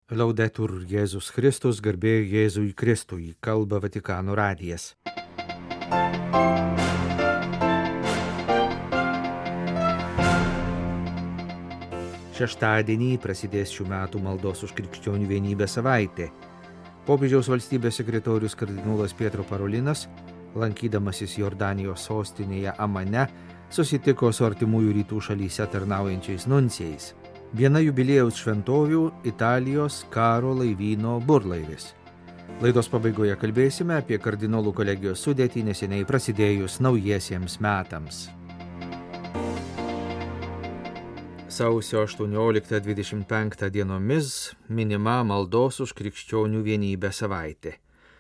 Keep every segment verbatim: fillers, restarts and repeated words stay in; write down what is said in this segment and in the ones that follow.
Laudetur Jėzus Kristus, garbė Jėzui Kristui, kalba Vatikano radijas. Šeštadienį prasidės šių metų maldos už krikščionių vienybę savaitė. Popiežiaus valstybės sekretorius kardinolas Pietro Parolinas, lankydamasis Jordanijos sostinėje Amane, susitiko su artimųjų rytų šalyse tarnaujančiais nuncijais. Viena jubiliejaus šventovių – Italijos karo laivyno burlaivis. Laidos pabaigoje kalbėsime apie kardinolų kolegijos sudėtį neseniai prasidėjus naujiesiems metams. Sausio aštuonioliktą dvidešimt penktą dienomis minima maldos už krikščionių vienybę savaitė.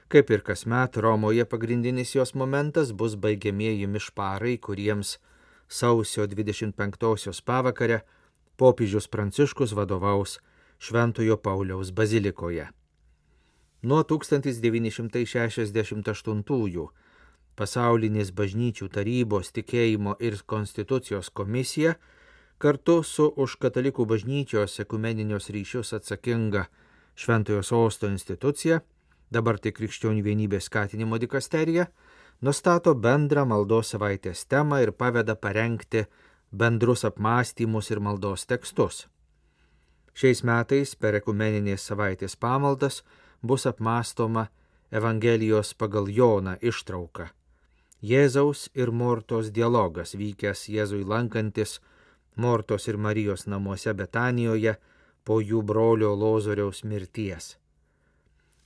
Kaip ir kasmet, Romoje pagrindinis jos momentas bus baigiamieji mišparai, kuriems sausio dvidešimt penktosios pavakarę popiežius Pranciškus vadovaus Šventojo Pauliaus bazilikoje. Nuo tūkstantis devyni šimtai šešiasdešimt aštuntųjų pasaulinės bažnyčių tarybos tikėjimo ir konstitucijos komisija kartu su už katalikų bažnyčios ekumeninius ryšius atsakinga Šventojo Sosto institucija, dabar tai krikščionių vienybės skatinimo dikasterija, nustato bendrą maldos savaitės temą ir paveda parengti bendrus apmąstymus ir maldos tekstus. Šiais metais per ekumeninės savaitės pamaldas bus apmąstoma Evangelijos pagal Joną ištrauka. Jėzaus ir Mortos dialogas vykęs Jėzui lankantis Mortos ir Marijos namuose Betanijoje po jų brolio Lozoriaus mirties.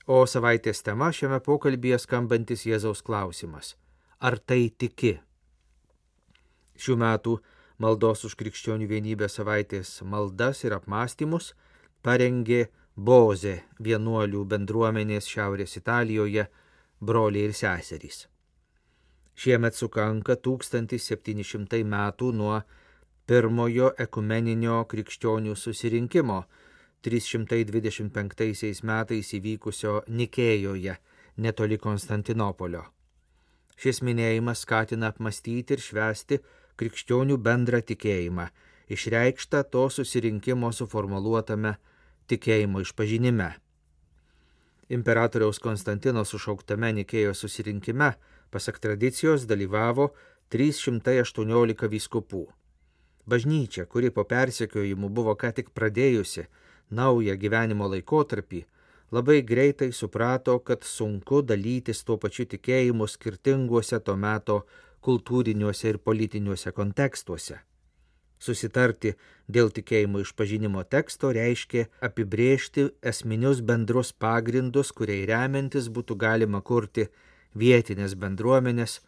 O savaitės tema šiame pokalbyje skambantis Jėzaus klausimas: ar tai tiki? Šių metų maldos už krikščionių vienybę savaitės maldas ir apmąstymus parengė Bozė vienuolių bendruomenės Šiaurės Italijoje broliai ir seserys. Šiemet sukanka tūkstantis septyni šimtai metų nuo pirmojo ekumeninio krikščionių susirinkimo trys šimtai dvidešimt penktaisiais metais įvykusio Nikėjoje netoli Konstantinopolio. Šis minėjimas skatina apmąstyti ir švęsti krikščionių bendrą tikėjimą, išreikštą to susirinkimo suformuluotame tikėjimo išpažinime. Imperatoriaus Konstantino sušauktame Nikėjos susirinkime, pasak tradicijos, dalyvavo trys šimtai aštuoniolika vyskupų. Bažnyčia, kuri po persekiojimų buvo ką tik pradėjusi naują gyvenimo laikotarpį, labai greitai suprato, kad sunku dalytis tuo pačiu tikėjimu skirtinguose to meto kultūriniuose ir politiniuose kontekstuose. Susitarti dėl tikėjimo išpažinimo teksto reiškia apibrėžti esminius bendrus pagrindus, kuriai remiantis būtų galima kurti vietinės bendruomenės,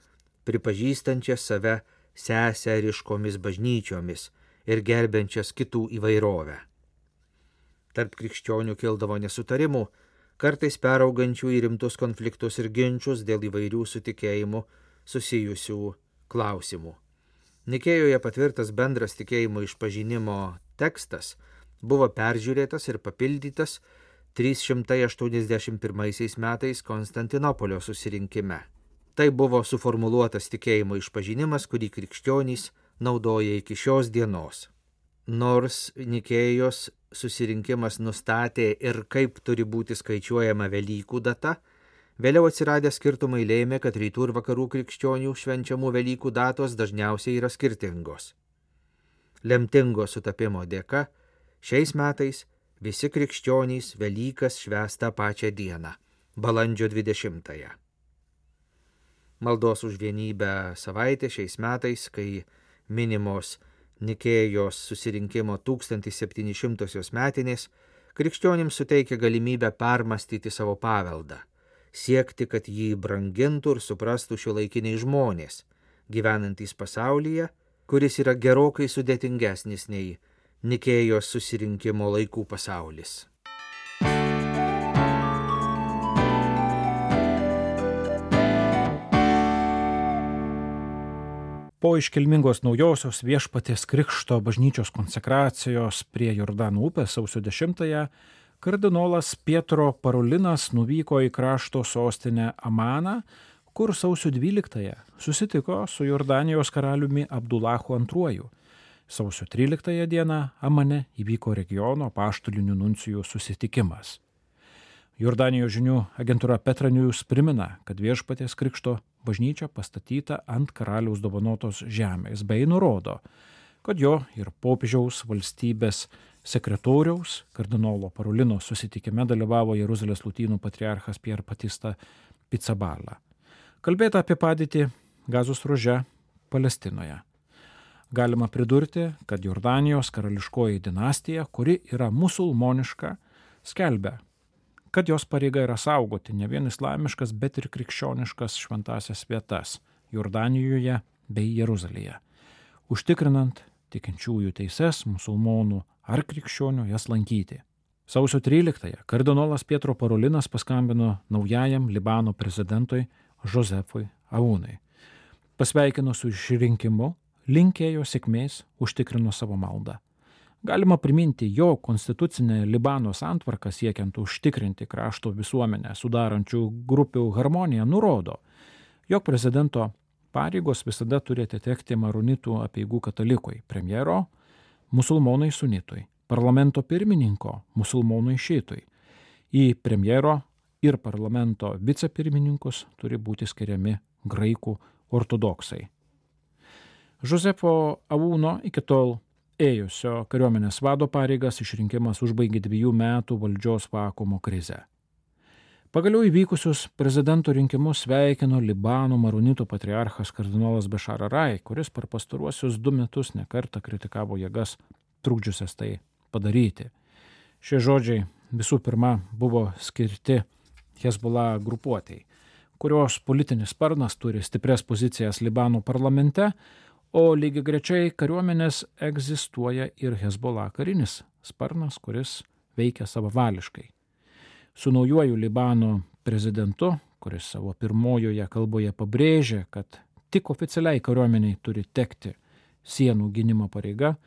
pripažįstančias save seseriškomis bažnyčiomis ir gerbiančias kitų įvairovę. Tarp krikščionių kildavo nesutarimų, kartais peraugančių į rimtus konfliktus ir ginčus dėl įvairių su tikėjimu susijusių klausimų. Nikėjoje patvirtas bendras tikėjimo išpažinimo tekstas buvo peržiūrėtas ir papildytas trys šimtai aštuoniasdešimt pirmaisiais metais Konstantinopolio susirinkime. Tai buvo suformuluotas tikėjimo išpažinimas, kurį krikščionys naudoja iki šios dienos. Nors Nikėjos susirinkimas nustatė ir kaip turi būti skaičiuojama Velykų data, vėliau atsiradę skirtumai lėmė, kad rytų ir vakarų krikščionių švenčiamų Velykų datos dažniausiai yra skirtingos. Lemtingo sutapimo dėka šiais metais visi krikščionys Velykas švęs tą pačią dieną, balandžio dvidešimtąją. Maldos už vienybę savaitė šiais metais, kai minimos Nikėjos susirinkimo tūkstantis septyni šimtosios metinės, krikščionims suteikia galimybę permastyti savo paveldą, siekti, kad jį brangintų ir suprastų šiuolaikiniai žmonės, gyvenantys pasaulyje, kuris yra gerokai sudėtingesnis nei Nikėjos susirinkimo laikų pasaulis. Po iškilmingos naujosios Viešpaties Krikšto bažnyčios konsekracijos prie Jordano upės sausio dešimtąją kardinolas Pietro Parolinas nuvyko į krašto sostinę Amaną, kur sausio dvyliktąją susitiko su Jordanijos karaliumi Abdulahu antruoju, Sausio tryliktąją dieną Amane įvyko regiono apaštalinių nuncijų susitikimas. Jordanijos žinių agentūra Petra News primena, kad Viešpaties Krikšto bažnyčia pastatyta ant karaliaus dovanotos žemės, bei nurodo, kad jo ir popiežiaus valstybės sekretoriaus kardinolo Parolino susitikime dalyvavo Jeruzalės lotynų patriarchas Pier Batista Pizzaballa. Kalbėta apie padėtį Gazos ruože Palestinoje. Galima pridurti, kad Jordanijos karališkoji dinastija, kuri yra musulmoniška, skelbia, kad jos pareiga yra saugoti ne vien islamiškas, bet ir krikščioniškas šventasias vietas Jordanijoje bei Jeruzalėje, užtikrinant tikinčiųjų teises, musulmonų ar krikščionių jas lankyti. Sausio tryliktąją kardinolas Pietro Parolinas paskambino naujajam Libano prezidentui Josefui Aounui. Pasveikino su išrinkimu, linkėjo sėkmės, užtikrino savo maldą. Galima priminti, jo konstitucinė Libano santvarka siekiant užtikrinti krašto visuomenę sudarančių grupių harmoniją nurodo, jog prezidento pareigos visada turi atitekti maronitų apeigų katalikui, premjero musulmonai sunitui, parlamento pirmininko musulmonai šitui. Į premjero ir parlamento vicepirmininkus turi būti skiriami graikų ortodoksai. Josefo Aouno iki tol ėjusio kariuomenės vado pareigas išrinkimas užbaigė dviejų metų valdžios vakuumo krizę. Pagaliau įvykusius prezidento rinkimus sveikino Libano maronitų patriarchas kardinolas Bešar al-Rai, kuris per pastaruosius du metus nekartą kritikavo jėgas trukdžiusias tai padaryti. Šie žodžiai visų pirma buvo skirti Hezbollah grupuotei, kurios politinis sparnas turi stiprias pozicijas Libano parlamente, o lygiai grečiai kariuomenės egzistuoja ir Hezbollah karinis sparnas, kuris veikia savavališkai. Su naujuoju Libano prezidentu, kuris savo pirmojoje kalboje pabrėžė, kad tik oficialiai kariuomeniai turi tekti sienų gynimo pareiga,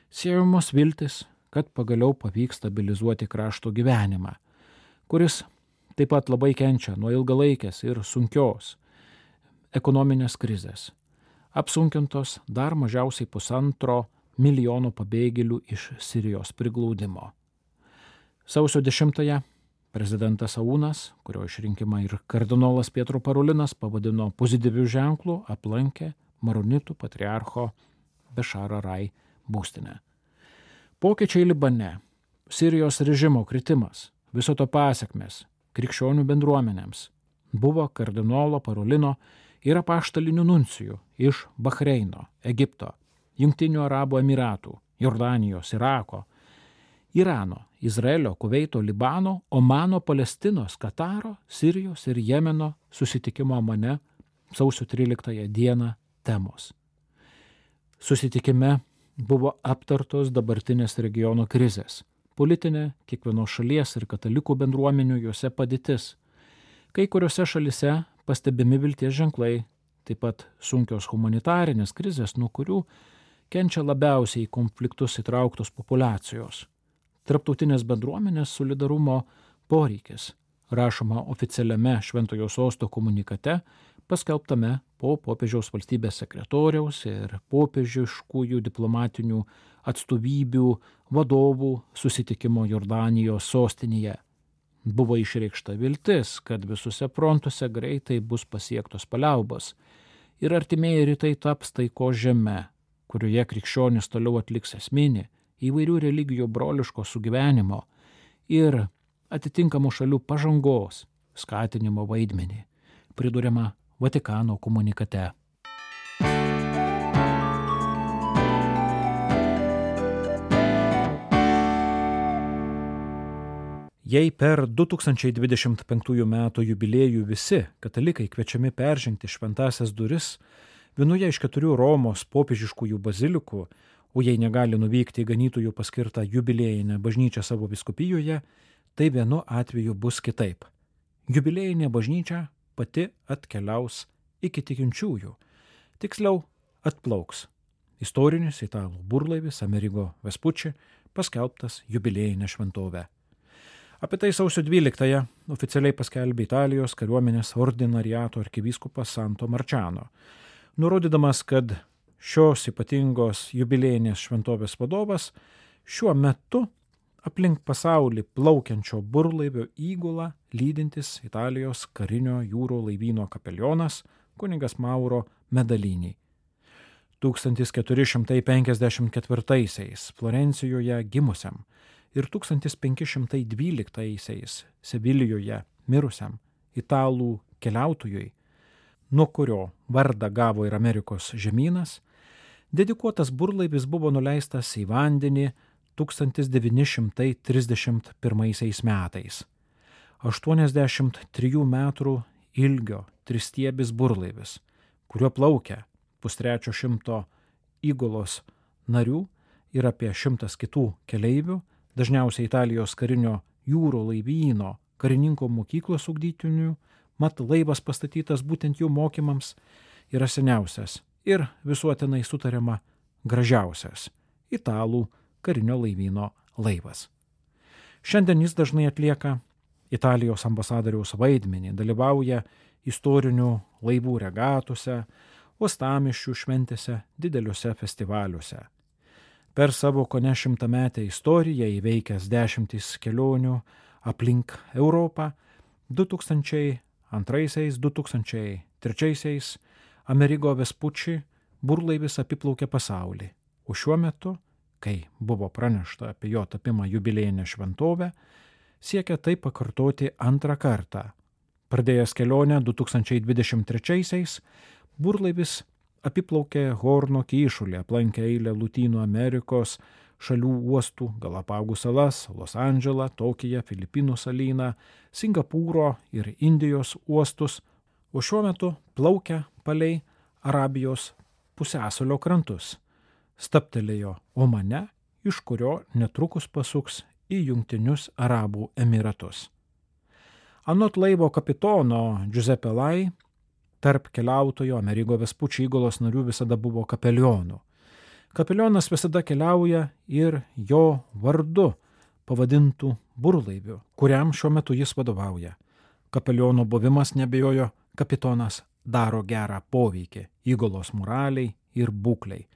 siejamos viltis, kad pagaliau pavyks stabilizuoti krašto gyvenimą, kuris taip pat labai kenčia nuo ilgalaikės ir sunkios ekonominės krizės, apsunkintos dar mažiausiai pusantro milijono pabėgėlių iš Sirijos priglaudimo. Sausio dešimtąją prezidentas Aounas, kurio išrinkimą ir kardinolas Pietro Parolinas pavadino pozityviu ženklu, aplankė maronitų patriarcho Bešar al-Rai būstinę. Pokyčiai Libane, Sirijos režimo kritimas, viso to pasekmės krikščionių bendruomenėms buvo kardinolo Parolino ir apaštalinių nuncijų iš Bahreino, Egipto, Jungtinių Arabų Emiratų, Jordanijos, Irako, Irano, Izraelio, Kuveito, Libano, Omano, Palestinos, Kataro, Sirijos ir Jemeno susitikimo Amane sausio tryliktąją dieną temos. Susitikime buvo aptartos dabartinės regiono krizės, politinė kiekvienos šalies ir katalikų bendruomenių juose padėtis. Kai kuriuose šalise pastebimi vilties ženklai, taip pat sunkios humanitarinės krizės, nuo kurių kenčia labiausiai į konfliktus įtrauktos populiacijos. Tarptautinės bendruomenės solidarumo poreikis, rašoma oficialiame Šventojo Sosto komunikate, paskelbtame po popiežiaus valstybės sekretoriaus ir popiežiškųjų diplomatinių atstovybių vadovų susitikimo Jordanijos sostinėje. Buvo išreikšta viltis, kad visuose frontuose greitai bus pasiektos paliaubos ir artimieji rytai taps taikos žeme, kurioje krikščionys toliau atliks esminį įvairių religijų broliško sugyvenimo ir atitinkamų šalių pažangos skatinimo vaidmenį, priduriama Vatikano komunikate. Jei per du tūkstančiai dvidešimt penktųjų metų jubiliejų visi katalikai kviečiami peržengti šventąsias duris vienoje iš keturių Romos popiežiškųjų bazilikų, o jei negali nuvykti į ganytojų paskirtą jubiliejinę bažnyčią savo vyskupijoje, tai vienu atveju bus kitaip. Jubiliejinė bažnyčia pati atkeliaus iki tikinčiųjų, tiksliau atplauks. Istorinis italų burlaivis Amerigo Vespucci paskelbtas jubiliejinę šventovę. Apie tai sausio dvyliktąją oficialiai paskelbė Italijos kariuomenės ordinariato arkivyskupas Santo Marciano, nurodydamas, kad šios ypatingos jubiliejinės šventovės vadovas, šiuo metu aplink pasaulį plaukiančio burlaivio įgulą lydintis Italijos karinio jūro laivyno kapelionas kunigas Mauro Medalini. tūkstantis keturi šimtai penkiasdešimt ketvirtaisiais Florencijoje gimusiam ir tūkstantis penki šimtai dvyliktaisiais Sevilijoje mirusiam italų keliautojui, nuo kurio vardą gavo ir Amerikos žemynas, dedikuotas burlaivis buvo nuleistas į vandenį tūkstantis devyni šimtai trisdešimt pirmaisiais metais. aštuoniasdešimt trijų metrų ilgio tristiebis burlaivis, kuriuo plaukia pustrečio šimto įgulos narių ir apie šimtas kitų keleivių, dažniausiai Italijos karinio jūro laivyno karininko mokyklos ugdytinių, mat laivas pastatytas būtent jų mokymams, yra seniausias ir visuotinai sutariama gražiausias italų karinio laivyno laivas. Šiandien jis dažnai atlieka Italijos ambasadoriaus vaidmenį, dalyvauja istorinių laivų regatose, uostamiesčių šventėse, dideliuose festivaliuose. Per savo kone šimtametę istoriją įveikęs dešimtis kelionių aplink Europą, du tūkstančiai antraisiais - du tūkstančiai trečiaisiais Amerigo Vespucci burlaivis apiplaukė pasaulį, o šiuo metu, kai buvo pranešta apie jo tapimą jubiliejinę šventovę, siekia tai pakartoti antrą kartą. Pradėjęs kelionę du tūkstančiai dvidešimt trečiaisiais, burlaivis apiplaukė Horno kyšulį, aplankė eilę Lotynų Amerikos šalių uostų, Galapagų salas, Los Andželą, Tokiją, Filipinų salyną, Singapūro ir Indijos uostus, o šiuo metu plaukia palei Arabijos pusiasalio krantus. Stabtelėjo Omane, iš kurio netrukus pasuks į Jungtinius Arabų Emiratus. Anot laivo kapitono Giuseppe Lai, tarp keliautojo Amerigo Vespucci įgulos narių visada buvo kapelionų. Kapelionas visada keliauja ir jo vardu pavadintų burlaivių, kuriam šiuo metu jis vadovauja. Kapeliono buvimas, nebejojo, kapitonas daro gerą poveikį įgulos moraliai ir būklei.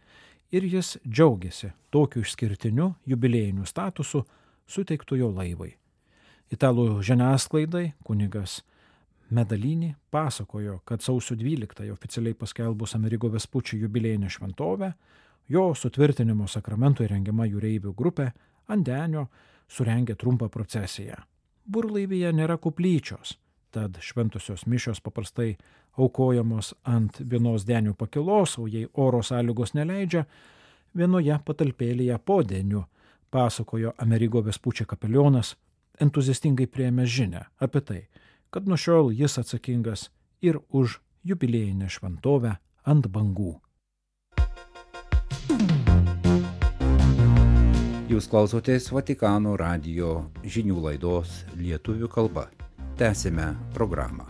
Ir jis džiaugiasi tokiu išskirtiniu jubiliejiniu statusu suteiktu jo laivui. Italų žiniasklaidai kunigas Medalini pasakojo, kad sausio dvyliktąją oficialiai paskelbus Amerigo Vespucci jubiliejinę šventovę, jo sutvirtinimo sakramento įrengiama jūreivių grupė ant denio surengė trumpą procesiją. Burlaivyje nėra koplyčios, tad šventosios mišios paprastai aukojamos ant vienos denių pakilos, o jei oro sąlygos neleidžia, vienoje patalpėlėje po deniu, pasakojo Amerigo Vespucci kapelionas, entuziastingai priėmė žinią apie tai, kad nuo šiol jis atsakingas ir už jubiliejinę šventovę ant bangų. Jūs klausotės Vatikano radijo žinių laidos lietuvių kalba. Tęsime programą.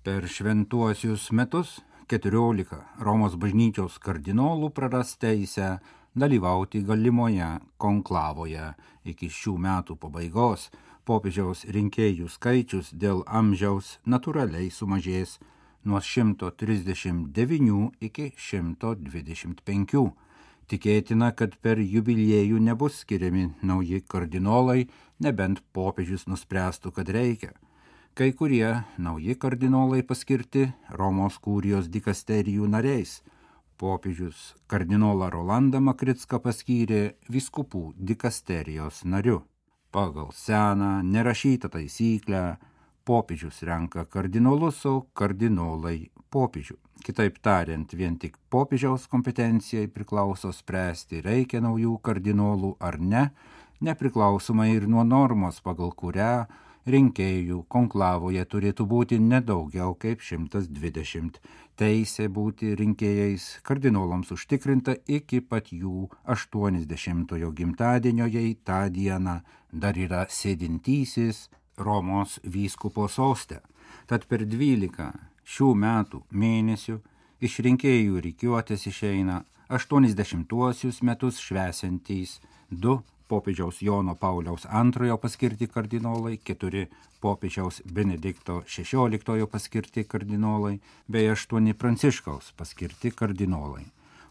Per šventuosius metus keturiolika Romos bažnyčios kardinolų praras teisę dalyvauti galimoje konklavoje. Iki šių metų pabaigos popiežiaus rinkėjų skaičius dėl amžiaus natūraliai sumažės nuo šimto trisdešimt devynių iki šimto dvidešimt penkių. Tikėtina, kad per jubiliejų nebus skiriami nauji kardinolai, nebent popiežius nuspręstų, kad reikia. Kai kurie nauji kardinolai paskirti Romos kurijos dikasterijų nariais. Popiežius kardinolą Rolandą Makricką paskyrė vyskupų dikasterijos nariu. Pagal seną nerašytą taisyklę popiežius renka kardinolus, o kardinolai popiežių. Kitaip tariant, vien tik popiežiaus kompetencijai priklauso spręsti, reikia naujų kardinolų ar ne, nepriklausomai ir nuo normos, pagal kurią rinkėjų konklavoje turėtų būti nedaugiau kaip šimtas dvidešimt. Teisė būti rinkėjais kardinolams užtikrinta iki pat jų aštuoniasdešimtojo gimtadienio, jei tą dieną dar yra sėdintysis Romos vyskupo soste. Tad per dvylika šių metų mėnesių iš rinkėjų rikiuotės išeina aštuoniasdešimtuosius metus švesiantys du popiežiaus Jono Pauliaus antrojo paskirti kardinolai, keturi popiežiaus Benedikto šešioliktojo paskirti kardinolai bei aštuoni Pranciškaus paskirti kardinolai.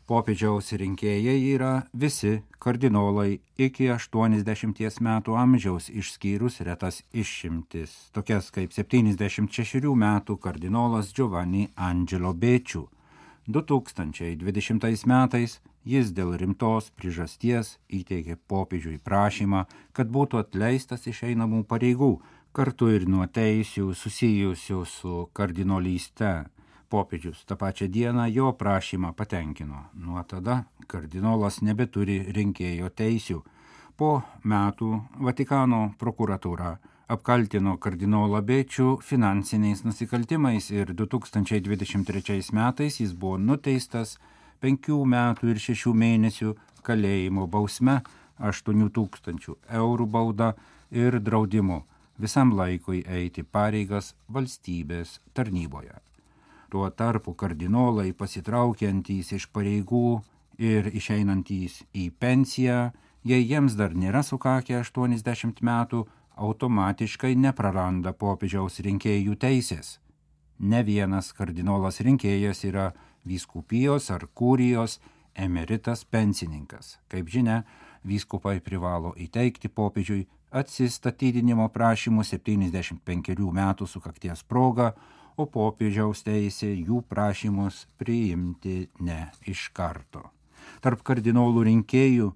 Popiežiaus rinkėjai yra visi kardinolai iki aštuoniasdešimties metų amžiaus išskyrus retas išimtis, tokias kaip septyniasdešimt šešerių metų kardinolas Giovanni Angelo Becciu. du tūkstančiai dvidešimtais metais jis dėl rimtos priežasties įteikė popiežiui prašymą, kad būtų atleistas iš einamų pareigų, kartu ir nuo teisių susijusių su kardinolyste. Popiežius tą pačią dieną jo prašymą patenkino. Nuo tada kardinolas nebeturi rinkėjo teisių. Po metų Vatikano prokuratūra apkaltino kardinolą Becciu finansiniais nusikaltimais ir du tūkstančiai dvidešimt trečiais metais jis buvo nuteistas penkių metų ir šešių mėnesių kalėjimo bausme, aštuonių tūkstančių eurų bauda ir draudimu visam laikui eiti pareigas valstybės tarnyboje. Tuo tarpu kardinolai pasitraukiantys iš pareigų ir išeinantys į pensiją, jei jiems dar nėra sukakę aštuoniasdešimt metų, automatiškai nepraranda popiežiaus rinkėjų teisės. Ne vienas kardinolas rinkėjas yra vyskupijos ar kurijos emeritas pensininkas. Kaip žinia, vyskupai privalo įteikti popiežiui atsistatydinimo prašymus septyniasdešimt penkerių metų sukakties proga, o popiežiaus teisė jų prašymus priimti ne iš karto. Tarp kardinolų rinkėjų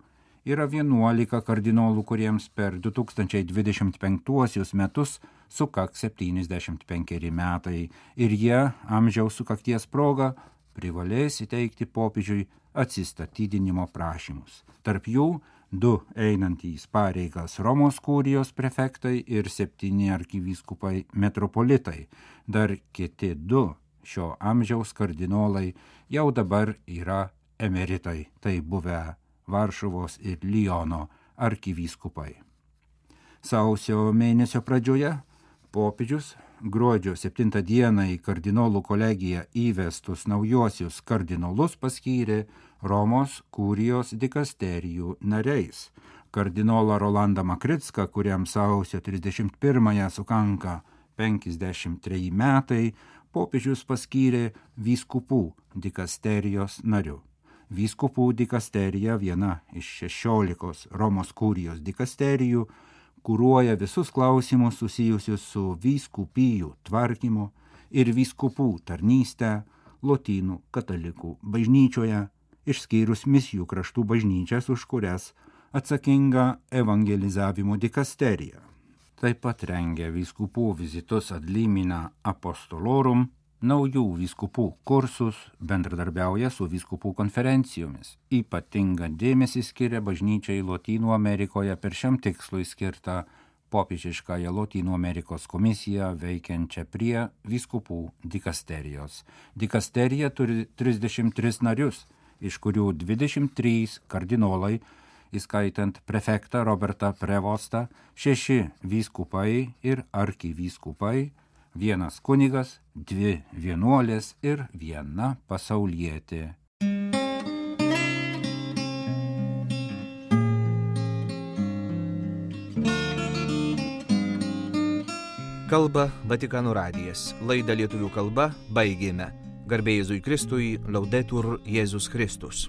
yra vienuolika kardinolų, kuriems per du tūkstančiai dvidešimt penktuosius metus sukaks septyniasdešimt penkeri metai ir jie amžiaus sukakties proga privalės įteikti popiežiui atsistatydinimo prašymus. Tarp jų du einantys pareigas Romos kurijos prefektai ir septyni arkivyskupai metropolitai. Dar kiti du šio amžiaus kardinolai jau dabar yra emeritai, tai buvę Varšuvos ir Liono arkivyskupai. Sausio mėnesio pradžioje popiežius gruodžio septintą dieną į kardinolų kolegiją įvestus naujosius kardinolus paskyrė Romos kurijos dikasterijų nariais. Kardinolą Rolandą Makricką, kuriam sausio trisdešimt pirmąją sukanka penkiasdešimt treji metai, popiežius paskyrė vyskupų dikasterijos nariu. Vyskupų dikasterija, viena iš šešiolikos Romos kurijos dikasterijų, kuruoja visus klausimus susijusius su vyskupijų tvarkymu ir vyskupų tarnystę lotynų katalikų bažnyčioje, išskyrus misijų kraštų bažnyčias, už kurias atsakinga evangelizavimo dikasterija. Taip pat rengia vyskupų vizitus ad limina apostolorum, naujų vyskupų kursus, bendradarbiauja su vyskupų konferencijomis. Ypatingą dėmesį skiria bažnyčiai Lotynų Amerikoje per šiam tikslui skirtą popiežiškąją Lotynų Amerikos komisiją veikiančią prie vyskupų dikasterijos. Dikasterija turi trisdešimt tris narius, iš kurių dvidešimt trys kardinolai, įskaitant prefektą Robertą Prevostą, šeši vyskupai ir arkivyskupai, vienas kunigas, dvi vienuolės ir viena pasaulietė. Kalba Vatikano radijas. Laidą lietuvių kalba baigėme. Garbė Jėzui Kristui, Laudetur Jėzus Kristus.